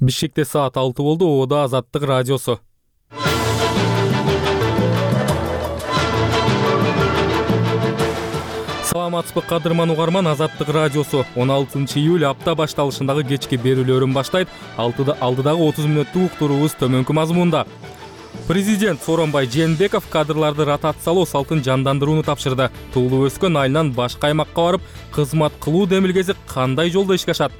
Бишкекте саат 6 болду. Ода Азаттык радиосу. Саламатсызбы кадырман угарман, Азаттык радиосу 16 июль апта башталышындагы кечки берүүлөрүн баштайт. Алдыдагы 30 мүнөттүк уктуруубуз төмөнкү мазмунда. Президент Сооронбай Жээнбеков кадрларды ротациялоо салтын жандандырууну тапшырды. Туулуп өскөн айынан башка аймакка барып, кызмат кылуу демилгеси кандай жолдо ишке ашат?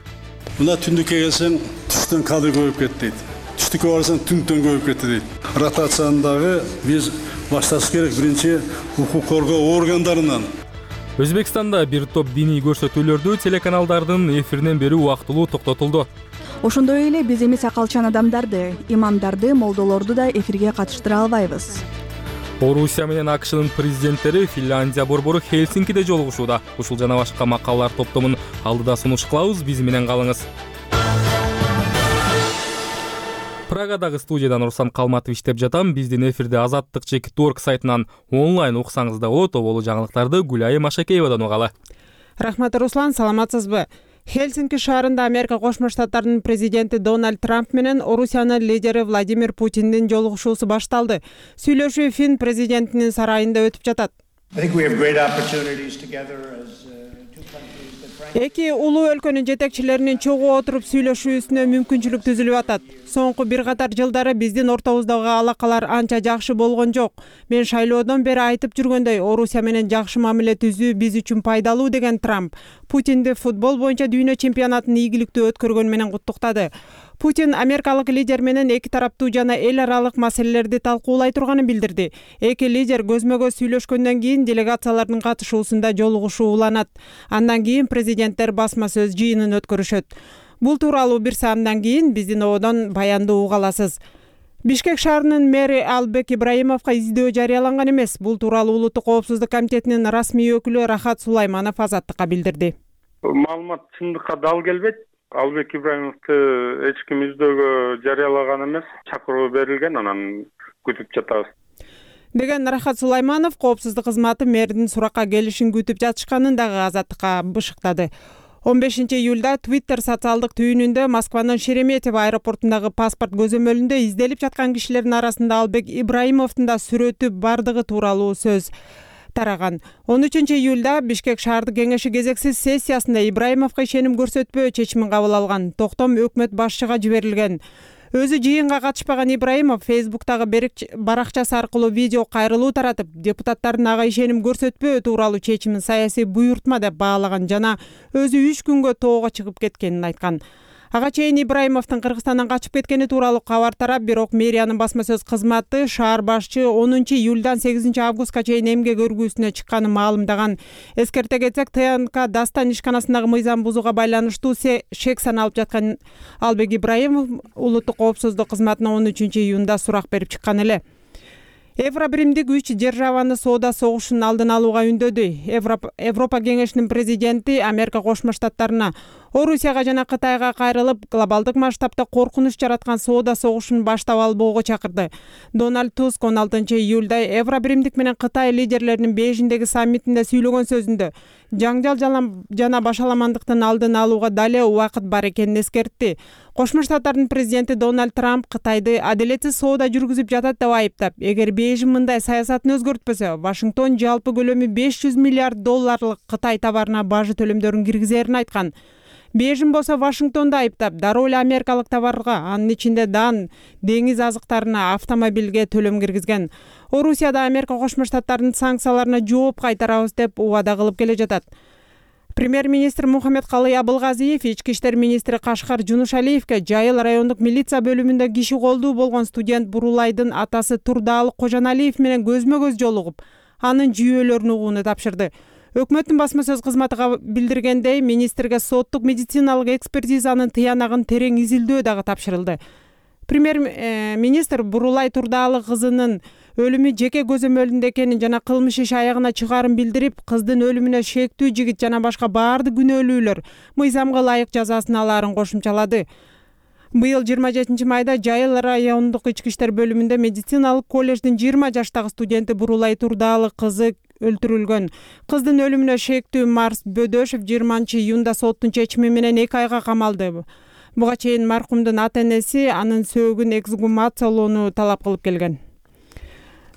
Мына түндүккө келсең, түштөн кадр көбөйүп кетти дейт. Түштүккө барсаң, түндөн көбөйүп кетти дейт. Ротацияндагы биз башташ керек биринчи укук коргоо органдарынан. Өзбекстанда бир топ диний көрсөтүүлөрдү телеканалдардын эфиринен берүү убактылуу токтотулду. Ошондой эле биз эми сакалчан адамдарды, имамдарды, молдолорду да эфирге катыштыра албайбыз. Орусия менен АКШнын президенттери Финляндия борбору Хельсинкиде жолугушууда. Ушул жана башка макалалар топтомун алдыда сунуш кылабыз, биз менен калыңыз. Прагадагы студиядан Руслан Калматов иштеп жатам. Биздин эфирде Азаттык.org сайтынан онлайн уксаңыз да болот. Оболу жаңылыктарды Гүлайым Ашакеевадан угалы. Рахмат, Руслан, саламатсызбы? Хельсинки шаарында Америка Кошмо Штаттарынын президенти Дональд Трамп менен Орусиянын лидери Владимир Путиндин жолугушуусу башталды. Сүйлөшүү Фин президентинин сарайында өтүп жатат. Эки улуу өлкөнүн жетекчилеринин чогуу отуруп сүйлөшүүсүнө мүмкүнчүлүк түзүлүп атат. Соңку бир катар жылдары биздин ортобуздагы алакалар анча жакшы болгон жок. Мен шайлоодон бери айтып жүргөндөй, Орусия менен жакшы мамиле түзүү биз үчүн пайдалуу деген Трамп Путинди футбол боюнча дүйнө чемпионатын ийгиликтүү өткөргөнү менен куттуктады. Путин америкалык лидер менен эки тараптуу жана эл аралык маселелерди талкуулай турганын билдирди. Эки лидер көзмө-көз сүйлөшкөндөн кийин делегациялардын катышуусунда жолугушуу уланат. Андан кийин президенттер басма сөз жыйынын өткөрүшөт. Бул тууралуу бир саамдан кийин биздин ободон баянды уга аласыз. Бишкек шаарынын мэри Албек Ибраимовго издөө жарыяланган эмес. Бул тууралуу Улуттук коопсуздук комитетинин расмий өкүлү Рахат Сулайманов Азаттыкка билдирди. Маалымат чындыкка дал келбейт. Албек Ибраимовду эч ким издөөгө жарыялаган эмес. Чакыруу берилген, анан күтүп жатабыз деген Рахат Сулайманов коопсуздук кызматы мэрдин суракка келишин күтүп жатышканын дагы Азаттыкка бышыктады. 15 июлда Twitter социалдык түйүнүндө Москванын Шереметьево аэропортундагы паспорт көзөмөлүндө изделип жаткан кишилердин арасында Албек Ибраимовдун да сүрөтү бардыгы тууралуу сөз тараган. 13 июлда Бишкек шаардык кеңеши кезексиз сессиясында Ибраимовго ишеним көрсөтпөө чечимин кабыл алган. Токтом өкмөт башчыга жиберилген. Өзү жыйынга катышпаган Ибраимов Фейсбуктагы баракчасы аркылуу видео кайрылуу таратып, депутаттардын ага ишеним көрсөтпөө тууралуу чечимин саясий буйртма деп баалаган жана өзү 3 күнгө тоого чыгып кеткенин айткан. Ага чейин Ибраимовдун Кыргызстандан качып кеткени тууралуу кабар тарап, бирок мэриянын басма сөз кызматы шаар башчы 10 июлдан 8 августка чейин эмгек өргүүсүнө чыкканын маалымдаган. Эскерте кетсек, ТНК Дастан ишканасындагы мыйзам бузууга байланыштуу шек саналып жаткан Албек Ибраимов Улуттук коопсуздук кызматына 13 июнда сурак берип чыккан эле. Евробиримдик 3 державаны соода согушунун алдын алууга үндөдү. Европа кеңешинин президенти Америка Кошмо Штаттарына Орусияга жана Кытайга кайрылып, глобалдык масштабта коркунуч жараткан соода согушун баштап албоого чакырды. Дональд Туск 16 июлда Евробиримдик менен Кытай лидерлеринин Бейжиңдеги саммитинде сүйлөгөн сөзүндө жаңжал жана башаламандыктын алдын алууга дале убакыт бар экенин эскертти. Кошмо Штаттардын президенти Дональд Трамп Кытайды адилетсиз соода жүргүзүп жатат деп айыптап, эгер Бейжиң мындай саясатын өзгөртпөсө, Вашингтон жалпы көлөмү $500 миллиард Кытай товарына бажы төлөмдөрүн киргизерин айткан. Бейжиң болсо Вашингтонду айыптап, дароо эле америкалык товарга, анын ичинде дан, деңиз азыктарына, автомобилге төлөм киргизген. Орусияда Америка Кошмо Штаттарынын санкцияларына жооп кайтарабыз деп убада кылып келе жатат. Премьер-министр Мухаммедкалый Абылгазиев ички иштер министри Кашкар Жунушалиевге Жайыл райондук милиция бөлүмүндө киши колдуу болгон студент Бурулайдын атасы Турдаалы Кожаналиев менен көзмө-көз жолугуп, анын жүйөлөрүн угууну тапшырды. Өкмөттүн басма сөз кызматы билдиргендей, министрге соттук медициналык экспертизанын тыянагын терең изилдөө дагы тапшырылды. Премьер-министр Бурулай Турдаалы кызынын өлүмү жеке көзөмөлүндө экенин жана кылмыш иши аягына чыгаарын билдирип, кыздын өлүмүнө шектүү жигит жана башка баардык күнөөлүүлөр мыйзамга ылайык жазасын алаарын кошумчалады. Быйыл 27 майда Жайыл райондук ички иштер бөлүмүндө медициналык коллеждин 20 жаштагы студенти Бурулай Турдаалы кызы өлтүрүлгөн. Кыздын өлүмүнө шектүү Марс Бөдөшев 20 июнда соттун чечими менен 2 айга камалды. Буга чейин маркумдун ата-энеси анын сөөгүн эксгумациялоону талап кылып келген.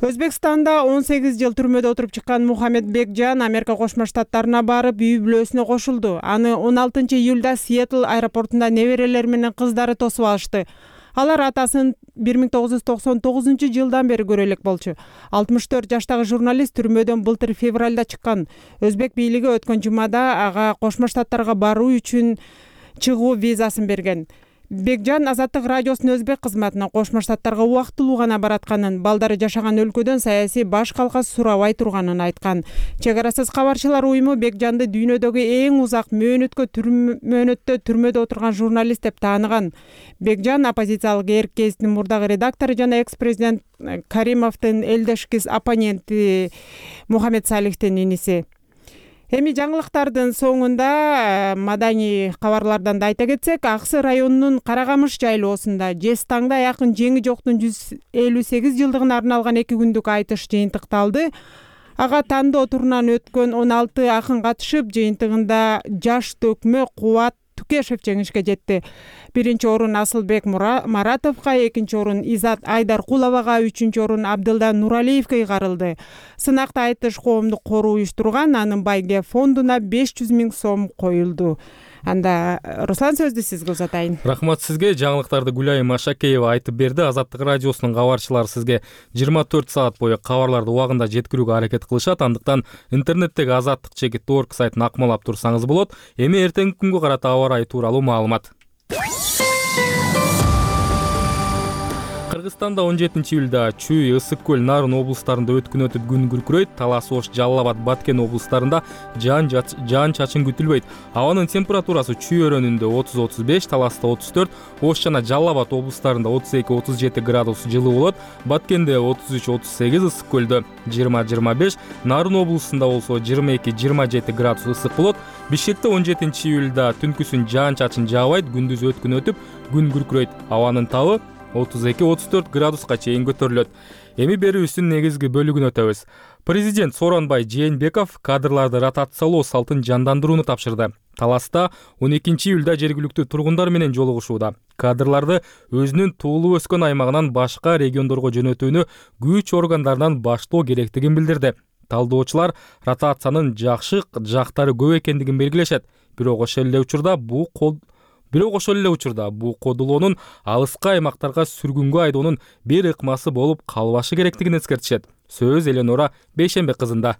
Өзбекстанда 18 жыл түрмөдө отуруп чыккан Мухаммед Бекжан Америка Кошмо Штаттарына барып, үй бүлөсүнө кошулду. Аны 16 июлда Сиэтл аэропортунда неберелери менен кыздары тосуп алышты. Алар атасын 1999 жылдан бери көрө элек болчу. 64 жаштагы журналист түрмөдөн былтыр февралда чыккан. Өзбек бийлиги өткөн жумада ага Кошмо Штаттарга баруу үчүн чыгуу визасын берген. Бекжан Азаттык радиосунун өзбек кызматына Кошмо Штаттарга убактылуу гана баратканын, балдары жашаган өлкөдөн саясий баш калка сурабай турганын айткан. Чек арасыз кабарчылар уюму Бекжанды дүйнөдөгү эң узак мөөнөттө түрмөдө отурган журналист деп тааныган. Бекжан оппозициялык Эрк гезитинин мурдагы редактору жана экс-президент Каримовдун элдешкис оппоненти Мухаммед Салихтин иниси. Эми жаңылыктардын соңунда маданий кабарлардан да айта кетсек, Аксы районунун Карагамыш жайлоосунда Жез таңда аякын жеңи жоктун 158 жылдыгына арналган 2 күндүк айтыш жыйынтыкталды. Ага тандоо турунан өткөн 16 акын катышып, жыйынтыгында жаш төкмө Кубат Тукешев жеңишке жетти. Биринчи орун Асылбек Маратовго, экинчи орун Изат Айдаркуловага, үчүнчү орун Абдылда Нуралиевге ыйгарылды. Сынакта айтыш коомдук коруу уюштурган, анын байге фондуна 500 000 сом коюлду. Анда Руслан сөздү сизге узатайын. Рахмат сизге. Жаңылыктарды Гүлайым Машакеева айтып берди. Азаттык радиосунун кабарчылары сизге 24 саат бою кабарларды убагында жеткирүүгө аракет кылышат. Андыктан интернеттеги azattik.org сайтын акмалап турсаңыз болот. Эми эртеңки күнгө карата аба ырайы тууралуу маалымат. Кыргызстанда 17 июлда Чүй, Ысык көл, Нарын облустарында өткүн өтүп күн күркүрөйт. Талас Ош, Жалал Абад, Баткен облустарында жаан чачын күтүлбөйт. Абанын температурасы Чүй өрөөнүндө 30-35, Таласта 34, Ош жана Жалал Абад облустарында 32-37 градус жылуу болот. Баткенде 33-38, Ысык көлдө 20-25, Нарын облусунда болсо 22-27 градус ысык болот. Бишкекте 17 июлда түнкүсүн жаан чачын жаабайт, күндүз өткүн өтүп күн күркүрөйт. Абанын табы 32-34 градуска чейин көтөрүлөт. Эми берүүбүздүн негизги бөлүгүнө өтөбүз. Президент Сооронбай Жээнбеков кадрларды ротациялоо салтын жандандырууну тапшырды. Таласта 12 июлда жергиликтүү тургундар менен жолугушууда. Кадрларды өзүнүн туулуп өскөн аймагынан башка региондорго жөнөтүүнү күч органдарынан баштоо керектигин билдирди. Талдоочулар ротациянын жакшы жактары көп экендигин белгилешет. Бирок ошол эле учурда бул кодулоонун алыскы аймактарга сүргүнгө айдоонун бир ыкмасы болуп калбашы керектигин эскертишет. Сөз Эленора Бейшембек кызында.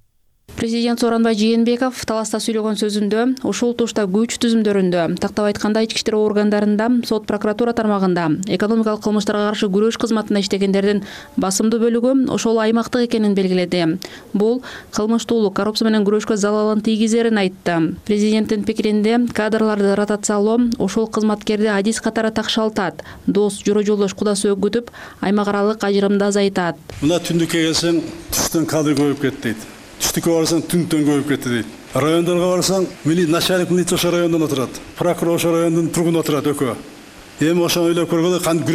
Президент Сооронбай Жээнбеков Таласта сүйлөгөн сөзүндө ушул тушта күч түзүмдөрүндө, тактап айтканда ички иштер органдарында, сот прокуратура тармагында, экономикалык кылмыштарга каршы күрөш кызматында иштегендердин басымдуу бөлүгү ошол аймактык экенин белгиледи. Бул кылмыштуулук, коррупция менен күрөшкө залалын тийгизерин айтты. Президенттин пикиринде кадрларды ротациялоо ошол кызматкерди адис катары такшалтат, дос, жора жолдош, куда сөөк күтүп, аймак аралык ажырымды азайтат. Мына түндүккө келсең, түштөн кадр көбөйүп кетти дейт. Түштүккө барсаң, түндөн көбөйүп кетти дейт. Райондорго барсаң, начальник милиция ошо райондон отурат, прокурор ошо райондун тургуну отурат экөө. Эми ошону ойлоп көргөндө кантип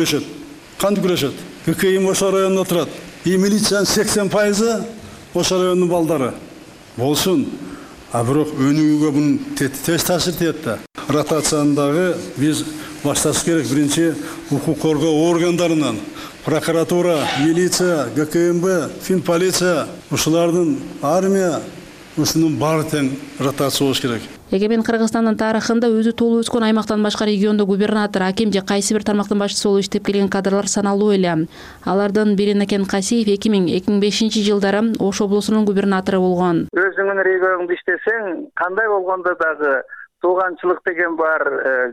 күрөшөт. ККИ ошо райондон отурат. Милициянын 80% ошо райондун балдары. Болсун. А бирок өнүгүүгө бунун тез таасир этет да. Ротациянын биз башташ керек. Биринчи укук коргоо органдарынан, прокуратура, милиция, ГКМБ, финполиция, ушулардын армия, ушунун баары тең ротация болуш керек. Эгемен Кыргызстандын тарыхында өзү туулуп өскөн аймактан башка региондо губернатор, аким же кайсы бир тармактын башчысы болуп иштеп келген кадрлар саналуу эле. Алардын бири Накен Касиев 2000-2005 жылдары Ош облусунун губернатору болгон. Өзүңүн регионуңда иштесең, кандай болгондо дагы тууганчылык деген бар,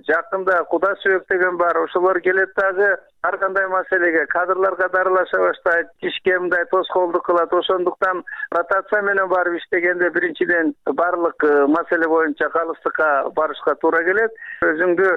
жакында куда сөөк деген бар, ошолор келет дагы ар кандай маселеге кадрларга дарылаша баштайт, ишке мындай тоскоолдук кылат. Ошондуктан ротация менен барып иштегенде биринчиден барлык маселе боюнча калыстыкка барышка туура келет. Өзүңдү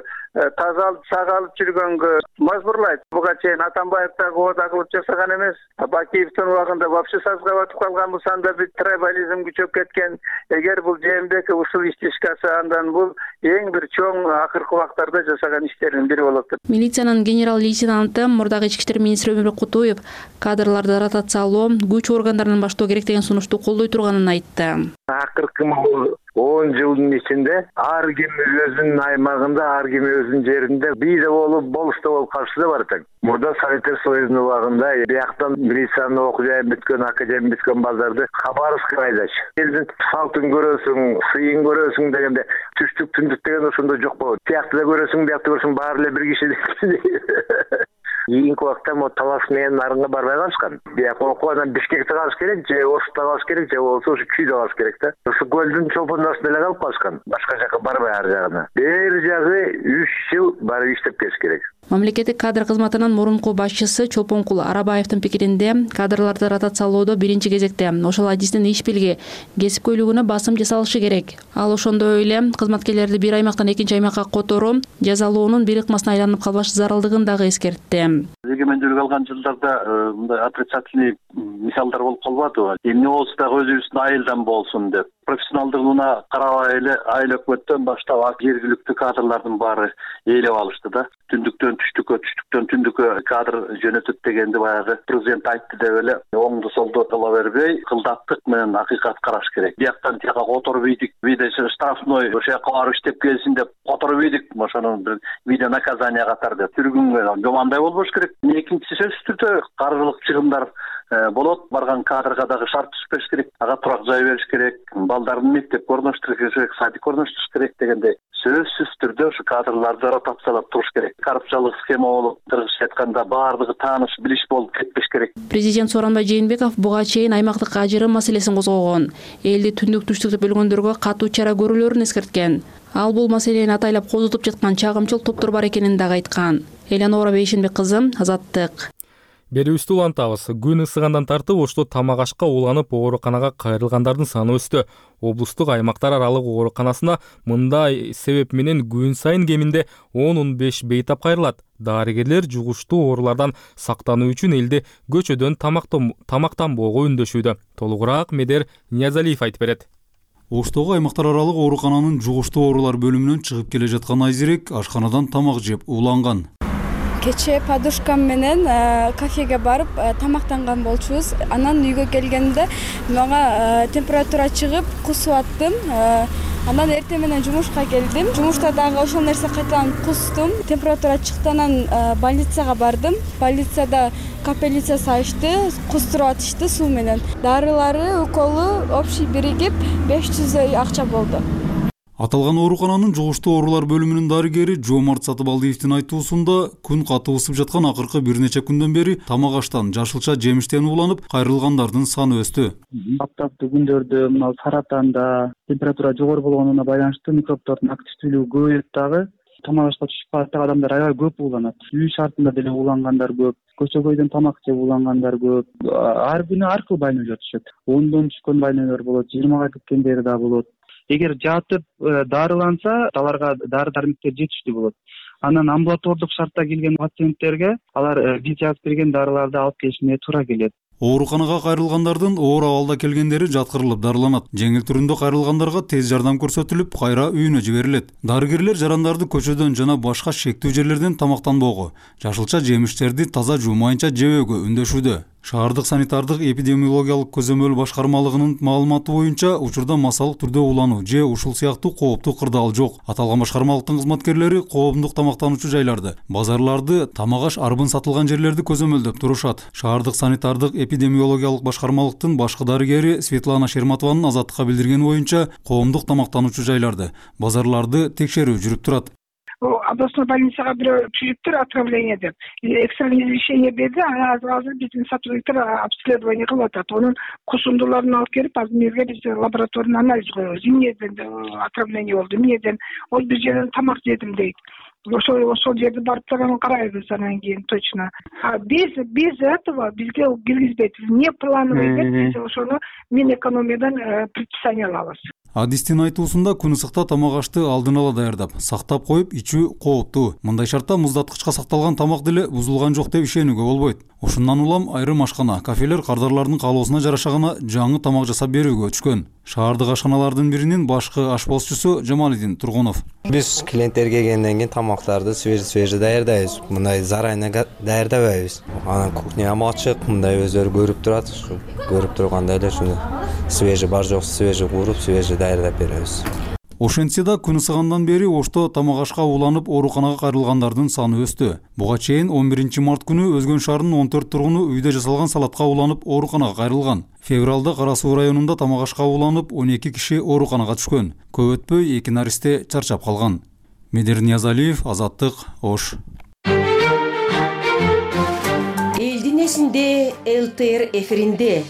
таза алып, сак алып жүргөнгө мажбурлайт. Буга чейин Атамбаев дагы ода кылып жасаган эмес. Бакиевдин убагында вообще сазга батып калган, бусанда бир трибализм күчөп кеткен. Эгер бул Жээнбеков ушул ишти ишке ашса, андан бул эң бир чоң акыркы убактарда жасаган иштердин бири болот. Милициянын генерал-лейтенанты антым мурдагы ички иштер министри Өмүрбек Кутуев кадрларды ротациялоо күч органдарынан баштоо керек деген сунушту колдой турганын айтты. Акыркы 10 жылдын ичинде ар ким өзүнүн аймагында, ар ким өзүнүн жеринде бийде болуп, болушта болуп калышы да бар экен. Мурда Советтер Союзунун убагында бияктан милициянын окуу жайын бүткөн, академия бүткөн балдарды хабаровскка айдаш. Элдин салтын көрөсүң, сыйын көрөсүң дегенде түштүк түндүк деген ошондо жок болот. Биякты да көрөсүң, биякты көрсөң баары эле бир киши. Кийинки убакта Талас менен нарынга барбай калышкан. Бияк окуп анан Бишкекте калыш керек, же Ошутта калыш керек, же болбосо ушу Күйдө калыш керек да. Ошо көлдүн чолпондосунда эле калып калышкан. Башка жака барбай ар жагына. Бер жагы 3 жыл барып иштеп келиш керек. Мамлекеттик кадр кызматынын мурунку башчысы Чолпонкул Арабаевдин пикиринде кадрларды ротациялоодо биринчи кезекте ошол адистин иш билги, кесипкөйлүгүнө басым жасалышы керек. Ал ошондой эле кызматкерлерди бир аймактан экинчи аймакка которуу, жазалоонун бир ыкмасына айланып калбаш зарылдыгын дагы эскертти. Эгемендүүлүк алган жылдарда мындай отрицательный мисалдар болуп калбадыбы? Эмне болсо дагы өзүбүздүн айылдан болсун деп. Профессионалдыгына карабай эле айыл өкмөттөн баштап жергиликтүү кадрлардын баары ээлеп алышты да. Түндүктөн түштүккө, түштүктөн түндүккө кадр жөнөтөт дегенди баягы президент айтты деп эле оңду солду кыла бербей, кылдаттык менен акыйкат караш керек. Бияктан тияка которуп ийдик, виде штрафной ошол жака барып иштеп келсин деп которуп ийдик, ошону бир виде наказание катары деп түргүнгө жомандай болбош керек. Экинчиси сөзсүз түрдө каржылык чыгымдар болот, барган кадрга дагы шарт түзүш керек, ага турак жай бериш керек, балдарын мектепке орноштуруш керек, садикке орноштуруш керек дегенде сөзсүз түрдө ушу кадрларды ротациялап туруш керек. Коррупциялык схема болуп, кыргызча айтканда баардыгы тааныш, билиш болуп кетпеш керек. Президент Сооронбай Жээнбеков буга чейин аймактык ажырым маселесин козгогон, элди түндүк түштүк деп бөлгөндөргө катуу чара көрүүлөрүн эскерткен. Ал бул маселени атайлап козутуп жаткан чагымчыл топтор бар экенин дагы айткан. Элеонора Бейшенбек кызы, Азаттык. Берүүбүздү улантабыз. Күн ысыгандан тартып Ошто тамак ашка уланып ооруканага кайрылгандардын саны өстү. Облустук аймактар аралык ооруканасына мындай себеп менен күн сайын кеминде 10-15 бейтап кайрылат. Дарыгерлер жугуштуу оорулардан сактануу үчүн элди көчөдөн тамактанбоого үндөшүүдө. Толугураак Медер Ниязалиев айтып берет. Оштогу аймактар аралык оорукананын жугуштуу оорулар бөлүмүнөн чыгып келе жаткан Айзирек ашканадан тамак жеп уланган. Кече подушкам менен кафеге барып тамактанган болчубуз. Анан үйгө келгенде мага температура чыгып кусуп аттым. Анан эртең менен жумушка келдим. Жумушта дагы ошол нерсе кайтадан кустум. Температура чыкты, анан больницага бардым. Больницада капельницасы ачты, кустуруп атышты суу менен. Дарылары, уколу общий биригип 500 акча болду. Аталган оорукананын жугуштуу оорулар бөлүмүнүн дарыгери Жоомарт Сатыбалдиевдин айтуусунда күн катуу ысып жаткан акыркы бир нече күндөн бери тамак аштан, жашылча жемиштен уланып кайрылгандардын саны өстү. Аптаптуу күндөрдө мына саратанда температура жогору болгонуна байланыштуу микробдордун активдүүлүгү көбөйөт дагы. Тамак ашка түшүп калган адамдар аябай көп уланат. Үй шартында деле улангандар көп. Көчөгөйдөн тамак жеп улангандар көп. Ар күнү ар кыл байнөлөр түшөт. 10дон түшкөн байнөлөр болот, 20га кеткендери да болот. Эгер жатып дарыланса, аларга дары-дармектер жетиштүү болот. Анан амбулатордук шартта келген пациенттерге алар биз жазып берген дарыларды алып келишине туура келет. Ооруканага кайрылгандардын оор абалда келгендери жаткырылып дарыланат. Жеңил түрүндө кайрылгандарга тез жардам көрсөтүлүп, кайра үйүнө жиберилет. Дарыгерлер жарандарды көчөдөн жана башка шектүү жерлерден тамактанбоого, жашылча жемиштерди таза жуумайынча жебөөгө үндөшүүдө. Шаардык санитардык эпидемиологиялык көзөмөл башкармалыгынын маалыматы боюнча учурда масалык түрдө улануу же ушул сыяктуу кооптуу кырдаал жок. Аталган башкармалыктын кызматкерлери коомдук тамактануучу жайларды, базарларды, тамак аш арбын сатылган жерлерди көзөмөлдөп турушат. Шаардык санитардык эпидемиологиялык башкармалыктын башкы дарыгери Светлана Шерматованын Азаттыкка билдиргени боюнча коомдук тамактануучу жайларды, базарларды текшерүү жүрүп турат. Областной больницага бирөө түзүптүр отравление деп. Экстренное извещение берди, азыр биздин сотрудниктер обследование кылып атат. Онун кусундуларын алып келип, азыр мезге биз лабораторный анализ коебуз. Эмнеден отравление болду, эмнеден ол бир жерден тамак жедим дейт. Ошол жерди барып карайбыз анан кийин точно. Без этого бизге киргизбейт. Не плановый деп биз ошону Минэкономиядан предписание алабыз. Адистин айтуусунда күн ысыкта тамак ашты алдын ала даярдап, сактап коюп ичүү кооптуу. Мындай шартта муздаткычка сакталган тамак деле бузулган жок деп ишенүүгө болбойт. Ошундан улам айрым ашкана, кафелер кардарлардын каалоосуна жараша гана жаңы тамак жасап берүүгө өтүшкөн. Шаардык ашканалардын биринин башкы ашпозчусу Жамалидин Тургунов. Биз клиенттерге келгенден кийин тамактарды свежий даярдайбыз. Мындай заранее даярдабайбыз. Анан кухням ачык, мындай өздөрү көрүп турат. Ушу көрүп тургандай эле ушуну свежий бар жок свежий кууруп, свежий даярдап беребиз. Ошентсе да күн ысыгандан бери Ошто тамак ашка уланып ооруканага кайрылгандардын саны өстү. Буга чейин 11 март күнү Өзгөн шаарынын 14 тургуну үйдө жасалган салатка уланып ооруканага кайрылган. Февралда Кара Суу районунда тамак ашка уланып 12 киши ооруканага түшкөн. Көп өтпөй 2 наристе чарчап калган. Медер Ниязалиев, Азаттык, Ош. Элдин эсинде ЛТР эфиринде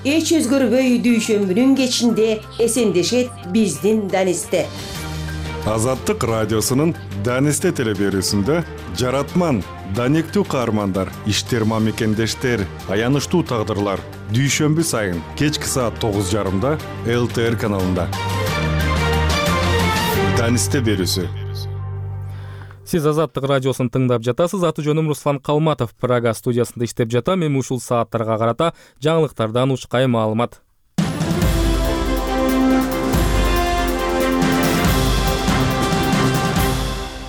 эч өзгөрбөй дүйшөмбүнүн кечинде эсендешет биздин Данисте. Азаттык радиосунун Данисте телеберүүсүндө жаратман, даниктүү каармандар, иштер мамекендештер, аянычтуу тагдырлар дүйшөмбү сайын кечки саат 9:30 ЛТР каналында. Данисте берүүсү. Сиз Азаттык радиосун тыңдап жатасыз. Аты жөнүм Руслан Калматов. Прага студиясында иштеп жатам. Эми ушул сааттарга карата жаңылыктардан учкай маалымат.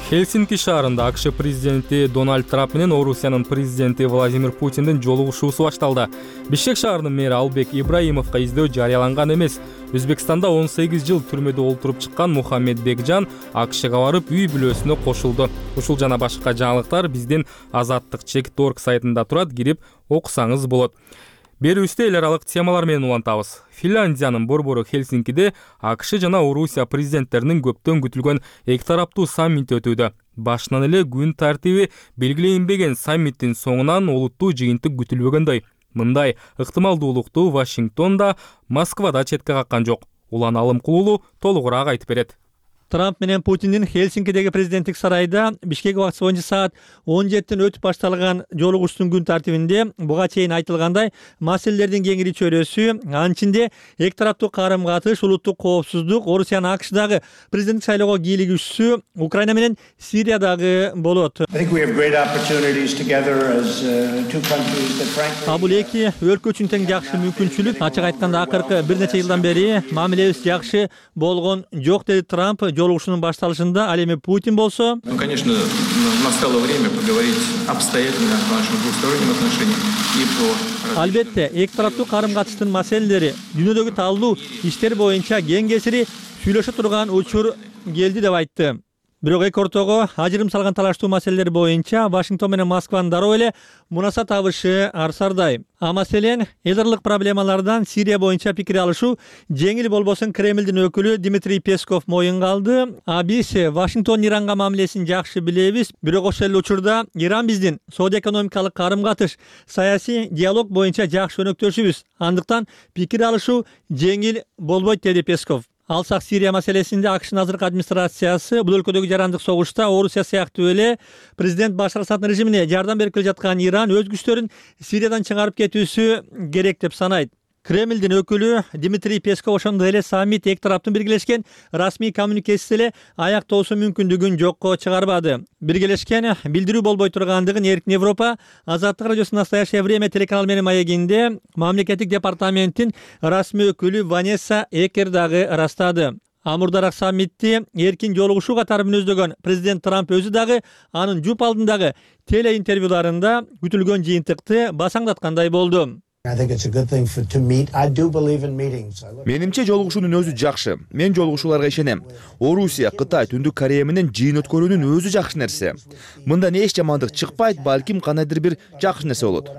Хельсинки шаарында АКШ президенти Дональд Трамп менен Орусиянын президенти Владимир Путиндин жолугушуусу башталды. Бишкек шаарынын мэри Албек Ибраимовго издөө жарыяланган эмес. Өзбекстанда 18 жыл түрмөдө олтуруп чыккан Мухаммед Бекжан АКШга барып үй бүлөсүнө кошулду. Ушул жана башка жаңылыктар биздин Азаттык.org сайтында турат, кирип окусаңыз болот. Берүүбүздө эл аралык темалар менен улантабыз. Финляндиянын борбору Хельсинкиде АКШ жана Орусия президенттеринин көптөн күтүлгөн эки тараптуу саммити өтүүдө. Башынан эле күн тартиби белгиленбеген саммиттин соңунан олуттуу жыйынтык күтүлбөгөндөй. Мындай ыктымалдуулукту Вашингтонда, Москвада четке каккан жок. Улан Алымкулулу толугураак айтып берет. Трамп менен Путиндин Хельсинкидеги президенттик сарайда Бишкек убакыты боюнча саат 17 өтүп башталган жолугушуунун күн тартибинде буга чейин айтылгандай маселелердин кеңири чөйрөсү, анын ичинде эки тараптуу карым-катыш, улуттук коопсуздук, Орусиянын АКШдагы президенттик шайлоого кийлигишүү, Украина менен Сириядагы болот. А бул эки өлкө үчүн тең жакшы мүмкүнчүлүк. Ачык айтканда акыркы бир нече жылдан бери мамилебиз жакшы болгон жок, деди Трамп жолугушуунун башталышында. Ал эми Путин болсо, конечно, настало время поговорить обстоятельно о наших двусторонних отношениях и по... Албетте, эки тараптуу карым-катыштын маселелери, дүйнөдөгү таалуу иштер боюнча кең кесири сүйлөшө турган учур келди деп айтты. Бирок эки ортого ажырым салган талаштуу маселелер боюнча Вашингтон менен Москванын дароо эле мунаса табышы арсардай. А маселен, эл аралык проблемалардан Сирия боюнча пикир алышуу жеңил болбосун Кремлдин өкүлү Дмитрий Песков моюнга алды. А биз Вашингтон Иранга мамилесин жакшы билебиз, бирок ошол эле учурда Иран биздин соода-экономикалык карым-катыш, саясий диалог боюнча жакшы өнөктөшүбүз. Андыктан пикир алышуу жеңил болбойт, деди Песков. Алсак Сирия маселесинде АКШнын азыркы администрациясы бул өлкөдөгү жарандык согушта Орусия сыяктуу эле президент Башар Асаддын режимине жардам берип келе жаткан Иран өз күчтөрүн Сириядан чыгарып кетүүсү керек деп санайт. Кремлдин өкүлү Дмитрий Песков ошондой эле саммит эки тараптын биргелешкен расмий коммуникесиси эле аяктоосу мүмкүндүгүн жокко чыгарбады. Биргелешкен билдирүү болбой тургандыгын Эркин Европа Азаттык радиосунун Настоящее время телеканалы менен маегинде мамлекеттик департаменттин расмий өкүлү Ванесса Экер дагы ырастады. Амурдараак саммитти эркин жолугушуу катары мүнөздөгөн президент Трамп өзү дагы анын жуп алдындагы телеинтервьюларында күтүлгөн жыйынтыкты басаңдаткандай болду. Менимче жолугушуунун өзү жакшы. Мен жолугушууларга ишенем. Орусия, Кытай, Түндүк Корея менен жыйын өткөрүүнүн өзү жакшы нерсе. Мындан эч жамандык чыкпайт, балким кандайдыр бир жакшы нерсе болот.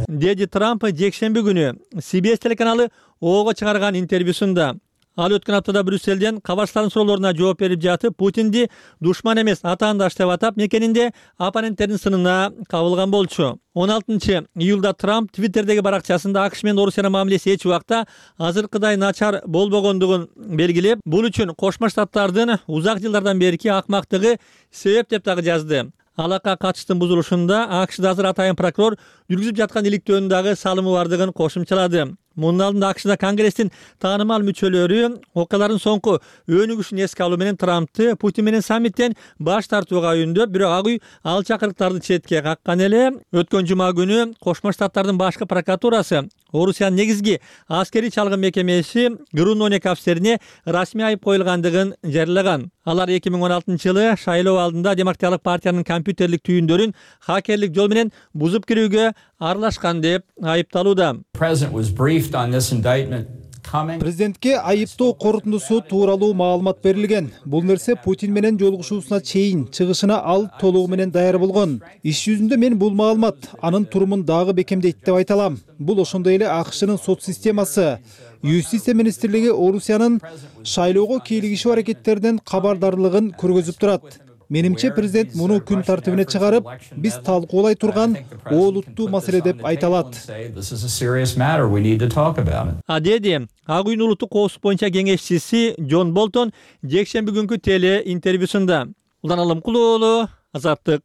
Деди Трамп жекшемби күнү CBS телеканалы Ого чыгарган интервьюсунда. Ал өткөн аптада Брюсселден кабарчылардын суроолоруна жооп берип жатып, Путинди душман эмес, атаандаш деп атап, мекенинде оппоненттердин сынына кабылган болчу. 16 июлда Трамп Твиттердеги баракчасында АКШ менен Орусиянын мамилеси эч убакта азыркыдай начар болбогондугун белгилеп, бул үчүн Кошмо Штаттардын узак жылдардан берки акмактыгы себеп деп дагы жазды. Алакка катыштын бузулушунда АКШда азыр атайын прокурор жүргүзүп жаткан иликтөөнүн дагы салымы бардыгын кошумчалады. Мунун алдында АКШда Конгресстин таанымал мүчөлөрү окуялардын соңку өнүгүшүн эске алуу менен Трампты Путин менен саммиттен баш тартууга үндөп, бирок ак үй ал чакырыктарды четке каккан эле. Өткөн жума күнү Кошмо Штаттардын башкы прокуратурасы Орусиянын негизги аскерий чалгын мекемеси Груноник офицерине расмий айып коюлгандыгын жарыялаган. Алар 2016-жылы шайлоо алдында Демократиялык партиянын компьютерлик түйүндөрүн хакерлик жол менен бузуп кирүүгө аралашкан деп айыпталууда. Президентке айыптоо корутундусу тууралуу маалымат берилген. Бул нерсе Путин менен жолугушуусуна чейин чыгышына ал толугу менен даяр болгон. Иш жүзүндө мен бул маалымат анын турумун дагы бекемдейт деп айта алам. Бул ошондой эле АКШнын сот системасы. Юстиция министрлиги Орусиянын шайлоого кийлигишүү аракеттеринен кабардарлыгын көргөзүп турат. Менимче президент муну күн тартибине чыгарып, биз талкуулай турган олуттуу маселе деп айта алат. Деди ак үйдүн улуттук коопсуздук боюнча кеңешчиси Джон Болтон жекшемби күнкү теле интервьюсунда. Улан Алымкулуу, Азаттык.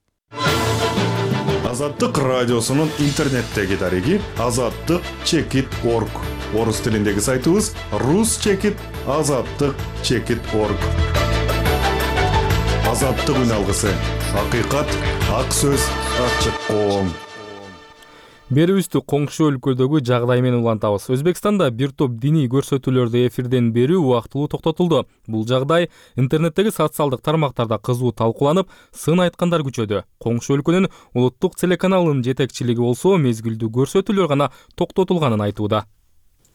Азаттык радиосунун интернеттеги дареги azattik.org. Орус тилиндеги сайтыбыз rus.azattik.org. Азаттык үн алгысы. Акыйкат, ак сөз, ачык коом. Берүүбүздү коңшу өлкөдөгү жагдай менен улантабыз. Өзбекстанда бир топ диний көрсөтүүлөрдү эфирден берүү убактылуу токтотулду. Бул жагдай интернеттеги социалдык тармактарда кызуу талкууланып, сын айткандар күчөдү. Коңшу өлкөнүн улуттук телеканалынын жетекчилиги болсо мезгилдүү көрсөтүүлөр гана токтотулганын айтууда.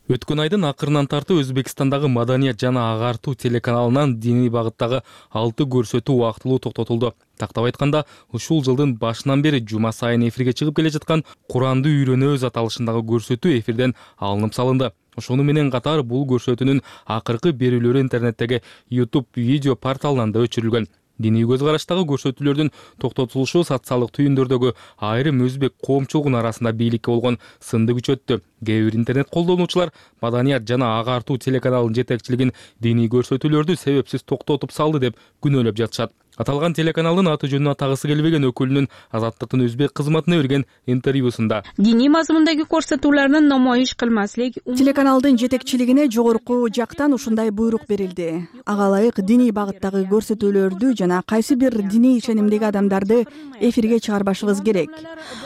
Өткөн айдын акырынан тартып Өзбекстандагы Маданият жана Агартуу телеканалынан диний багыттагы 6 көрсөтүү убактылуу токтотулду. Тактап айтканда, ушул жылдын башынан бери жума сайын эфирге чыгып келе жаткан Куранды үйрөнөбүз аталышындагы көрсөтүү эфирден алынып салынды. Ошону менен катар бул көрсөтүүнүн акыркы берүүлөрү интернеттеги YouTube видео порталынан да өчүрүлгөн. Диний көз караштагы көрсөтүүлөрдүн токтотулушу социалдык түйүндөрдөгү айрым өзбек коомчулугунун арасында бийликке болгон сынды күчөттү. Кээ бир интернет колдонуучулар Маданият жана Агартуу телеканалынын жетекчилигин диний көрсөтүүлөрдү себепсиз токтотуп салды деп күнөөлөп жатышат. Аталган телеканалдын аты жөнүн атагысы келбеген өкүлүнүн Азаттыктын өзбек кызматына берген интервьюсунда диний мазмундагы көрсөтүүлөрдү намоиш кылмаслык. Телеканалдын жетекчилигине жогорку жактан ушундай буйрук берилди. Ага ылайык диний багыттагы көрсөтүүлөрдү жана кайсы бир диний ишенимдеги адамдарды эфирге чыгарбашыбыз керек.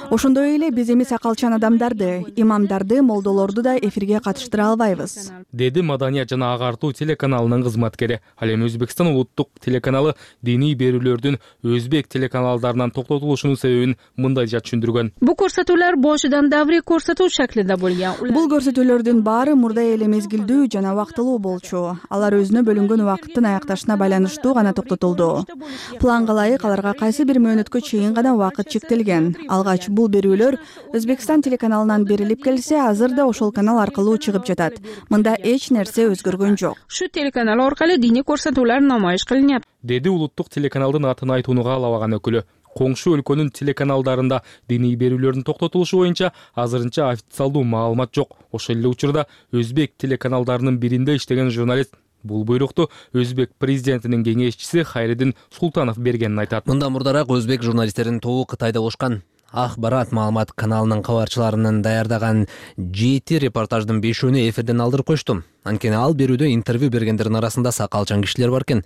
Ошондой эле биз эми сакалчан адамдарды, имамдарды, молдолорду да эфирге катыштыра албайбыз, деди Маданият жана Агартуу телеканалынын кызматкери. Ал эми Өзбекстан улуттук телеканалы диний берүүлөрдүн өзбек телеканалдарынан токтотулушунун себебин мындайча түшүндүргөн. Бул көрсөтүүлөр бошудан даври көрсөтүү шаклинде болгон. Бул көрсөтүүлөрдүн баары мурдай эле мезгилдүү жана убактылуу болчу. Алар өзүнө бөлүнгөн убакыттын аякташына байланыштуу гана токтотулду. Планга ылайык аларга кайсы бир мөөнөткө чейин гана убакыт чектелген. Алгач бул берүүлөр Өзбекстан телеканалынан берилип келсе, азыр да ошол канал аркылуу чыгып жатат. Мында эч нерсе өзгөргөн жок. Ушу телеканал аркылуу диний көрсөтүүлөр намоиш кылынат, деди улуттук телеканалдын атын айтууну каалабаган өкүлү. Коңшу өлкөнүн телеканалдарында диний берүүлөрдүн токтотулушу боюнча азырынча официалдуу маалымат жок. Ошол эле учурда өзбек телеканалдарынын биринде иштеген журналист бул буйрукту өзбек президентинин кеңешчиси Хайридин Султанов бергенин айтат. Мындан мурдараак өзбек журналисттеринин тобу Кытайда болушкан. Акбарат маалымат каналынын кабарчыларынын даярдаган 7 репортаждын 5-өөнү эфирден алдырып коюшту. Анткени ал берүүдө интервью бергендердин арасында сакалчан кишилер бар экен.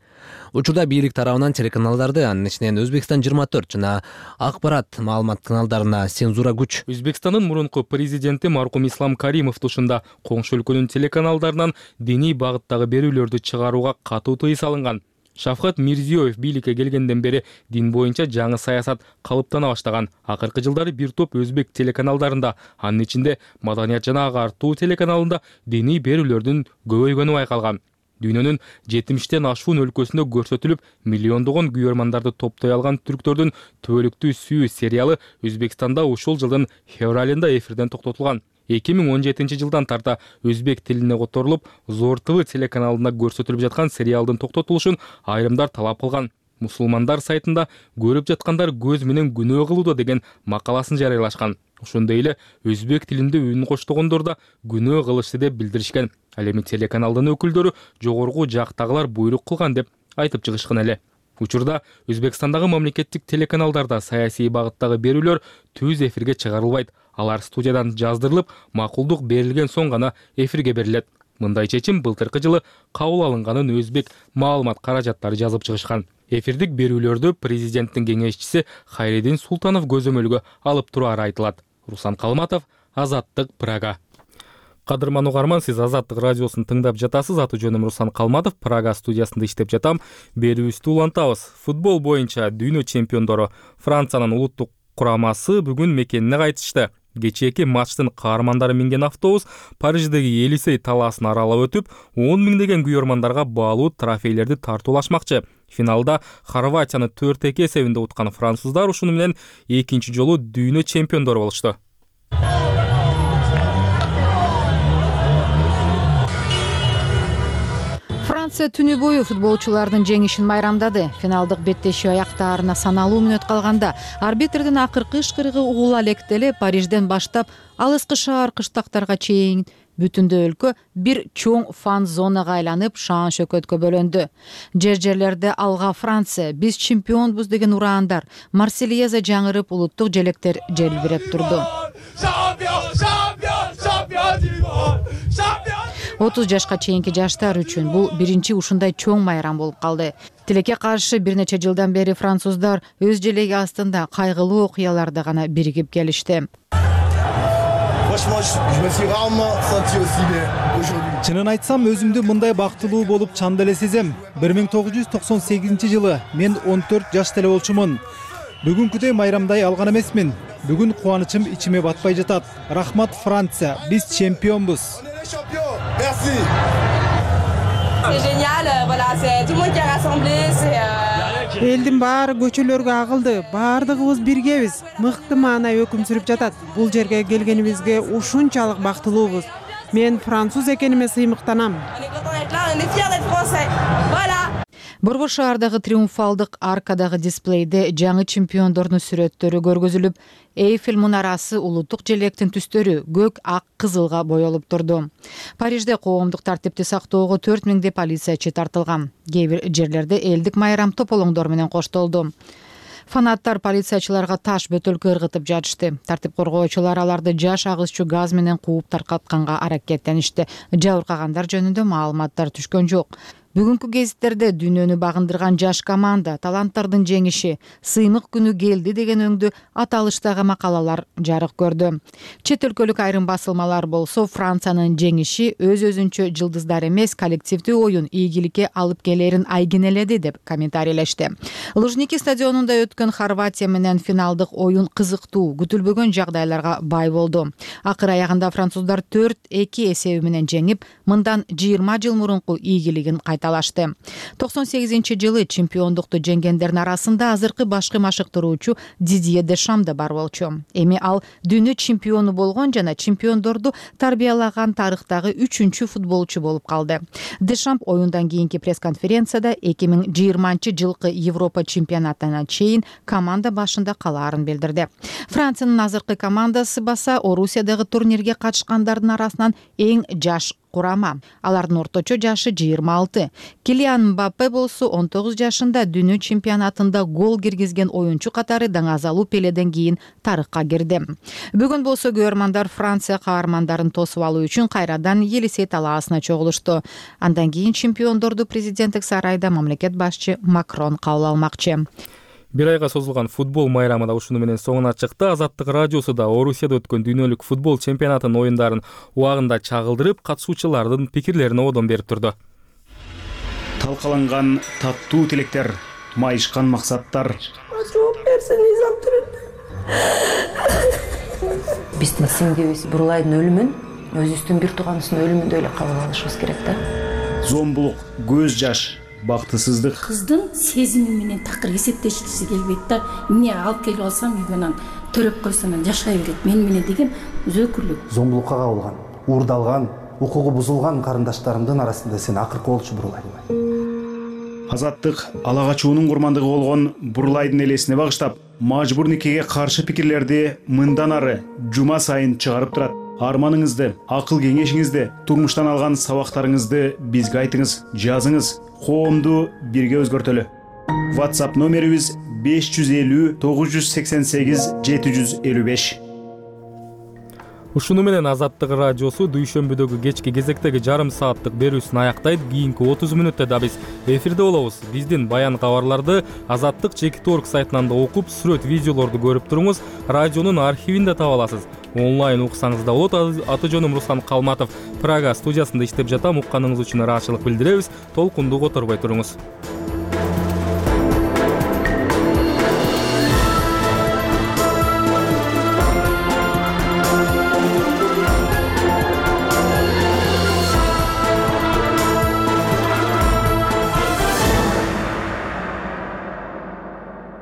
Учурда бийлик тарабынан телеканалдарды, анын ичинен Өзбекстан 24 жана Акбарат маалымат каналдарына цензура күч. Өзбекстандын мурунку президенти маркум Ислам Каримов тушунда коңшу өлкөнүн телеканалдарынан диний багыттагы берүүлөрдү чыгарууга катуу тыюу салынган. Шавкат Мирзиёев бийликке келгенден бери дин боюнча жаңы саясат калыптана баштаган. Акыркы жылдары бир топ өзбек телеканалдарында, анын ичинде Маданият жана Агартуу телеканалында диний берүүлөрдүн көбөйгөнү байкалган. Дүйнөнүн 70тен ашуун өлкөсүндө көрсөтүлүп, миллиондогон күйөрмандарды топтой алган түрктөрдүн түбөлүктүү сүйүү сериалы Өзбекстанда ушул жылдын февралында эфирден токтотулган. 2017 жылдан тарта өзбек тилине которулуп, Зор ТВ телеканалында көрсөтүлүп жаткан сериалдын токтотулушун айрымдар талап кылган. Мусулмандар сайтында көрүп жаткандар көз менен күнөө кылууда деген макаласын жарыялашкан. Ошондой эле өзбек тилинде үн коштогондор да күнөө кылышты деп билдиришкен. Ал эми телеканалдын өкүлдөрү жогорку жактагылар буйрук кылган деп айтып чыгышкан эле. Учурда Өзбекстандагы мамлекеттик телеканалдарда саясий багыттагы берүүлөр түз эфирге чыгарылбайт. Алар студиядан жаздырылып, макулдук берилген соң гана эфирге берилет. Мындай чечим былтыркы жылы кабыл алынганын Өзбек маалымат каражаттары жазып чыгышкан. Эфирдик берүүлөрдү президенттин кеңешчиси Хайридин Султанов көзөмөлгө алып турары айтылат. Руслан Калматов, Азаттык, Прага. Кадырман угарман, сиз Азаттык радиосун тыңдап жатасыз. Аты жөнүм Руслан Калматов, Прага студиясында иштеп жатам. Берүүбүздү улантабыз. Футбол боюнча дүйнө чемпиондору Франциянын улуттук курамасы бүгүн мекенине кайтышты. Кечээки матчтын каармандары минген автобус Париждеги Елисей талаасын аралап өтүп, 10 миңдеген күйөрмандарга баалуу трофейлерди тартуулашмакчы. Финалда Хорватияны 4-2 эсебинде уткан француздар ушуну менен экинчи жолу дүйнө чемпиондору болушту. Франция түнү бою футболчулардын жеңишин майрамдады. Финалдык беттешүү аяктаарына саналуу мүнөт калганда арбитрдин акыркы ышкырыгы угула электеле Парижден баштап алыскы шаар кыштактарга чейин бүтүндө өлкө бир чоң фан зонага айланып шаан шөкөткө бөлөндү. Жерлерде алга Франция, биз чемпионбуз деген ураандар, Марсельеза жаңырып, улуттук желектер желбиреп турду. 30 жашка чейинки жаштар үчүн бул биринчи ушундай чоң майрам болуп калды. Тилекке каршы бир нече жылдан бери француздар өз желеги астында кайгылуу окуяларда гана биригип келишти. Чынын айтсам, өзүмдү мындай бактылуу болуп чанда эле сезем. 1998 мен 14 жашта эле болчумун. Бүгүнкүдөй майрамдай алган эмесмин. Бүгүн кубанычым ичиме батпай жатат. Рахмат Франция, биз чемпионбуз. Элдин баары көчөлөргө агылды. Баардыгыбыз биргебиз. Мыкты маанай өкүм сүрүп жатат. Бул жерге келгенибизге ушунчалык бактылуубуз. Мен француз экениме сыймыктанам. Борбор шаардагы триумфалдык аркадагы дисплейде жаңы чемпиондордун сүрөттөрү көргөзүлүп, Эйфель мунарасы, улуттук желектин түстөрү көк, ак, кызылга боелуп турду. Парижде коомдук тартипти сактоого 4000 полициячы тартылган. Кээ бир жерлерде элдик майрам тополоңдор менен коштолду. Фанаттар полициячыларга таш бөтөлкө ыргытып жатышты. Тартип коргоочулар аларды жаш агызчу газ менен кууп таркатканга аракеттеништи. Жабыркагандар жөнүндө маалыматтар түшкөн жок. Бүгүнкү гезиттерде дүйнөнү багындырган жаш команда, таланттардын жеңиши, сыймык күнү келди деген өңдүү аталыштагы макалалар жарык көрдү. Чет өлкөлүк айрым басылмалар болсо Франциянын жеңиши өз-өзүнчө жылдыздар эмес, коллективдүү оюн ийгиликке алып келерин айгинеледи деп комментарийлешти. Лужники стадионунда өткөн Хорватия менен финалдык оюн кызыктуу, күтүлбөгөн жагдайларга бай болду. Акыр аягында француздар 4-2 эсеби менен жеңип, мындан 20 жыл мурунку ийгилигин кайталашты. 98-жылы чемпиондукту жеңгендердин арасында азыркы башкы машыктыруучу Дидье Дешам да бар болчу. Эми ал дүйнө чемпиону болгон жана чемпиондорду тарбиялаган тарыхтагы 3-чү футболчу болуп калды. Дешам оюндан кийинки пресс-конференцияда 2020-жылкы Европа чемпионатына чейин команда башында калаарын билдирди. Франциянын азыркы командасы баса Орусиядагы турнирге катышкандардын арасынан эң жаш курама. Алардын орточо жашы 26. Килиан Мбаппе болсо 19 жашында дүйнө чемпионатында гол киргизген оюнчу катары даңазалуу Пеледен кийин тарыхка кирди. Бүгүн болсо күйөрмандар Франция каармандарын тосуп алуу үчүн кайрадан Елисей талаасына чогулушту. Андан кийин чемпиондорду президенттик сарайда мамлекет башчы Макрон кабыл алмакчы. Бир айга созулган футбол майрамы да ушуну менен соңуна чыкты. Азаттык радиосу да Орусияда өткөн дүйнөлүк футбол чемпионатынын оюндарын убагында чагылдырып, катышуучулардын пикирлерине одон берип турду. Талкаланган таттуу тилектер, майышкан максаттар. Биздин сиңдибиз Бурлайдын өлүмүн өзүбүздүн бир тууганыбыздын өлүмүндөй эле кабыл алышыбыз керек да. Зомбулук, көз жаш, бактысыздык. Кыздын сезими менен такыр эсептешкиси келбейт да. Эмне алып келип алсам үйгөнөн төрөп койсом жашай берет. Мен менен деген өзөкүрлүк. Зомбулукка кабылган, уурдалган, укугу бузулган карындаштарымдын арасында сен акыркы болчу Бурлай. Азаттык ала качуунун курмандыгы болгон Бурлайдын элесине багыштап, мажбур никеге каршы пикирлерди мындан ары жума сайын чыгарып турат. Арманыңызды, акыл кеңешиңизди, турмуштан алган сабактарыңызды бизге айтыңыз, жазыңыз. Коомду бирге өзгөртөлү. WhatsApp номерибиз 550 988 755. Ушуну менен Азаттык радиосу дүйшөмбүдөгү кечки кезектеги жарым сааттык берүүсүн аяктайт. Кийинки 30 мүнөттө да биз эфирде болобуз. Биздин баян кабарларды Азаттык.org сайтынан да окуп, сүрөт, видеолорду көрүп туруңуз. Радионун архивинде таба аласыз. Онлайн уксаңыз да болот. Аты жөнүм Руслан Калматов. Прага студиясында иштеп жатам. Укканыңыз үчүн ыраазычылык билдиребиз. Толкунду которбой туруңуз.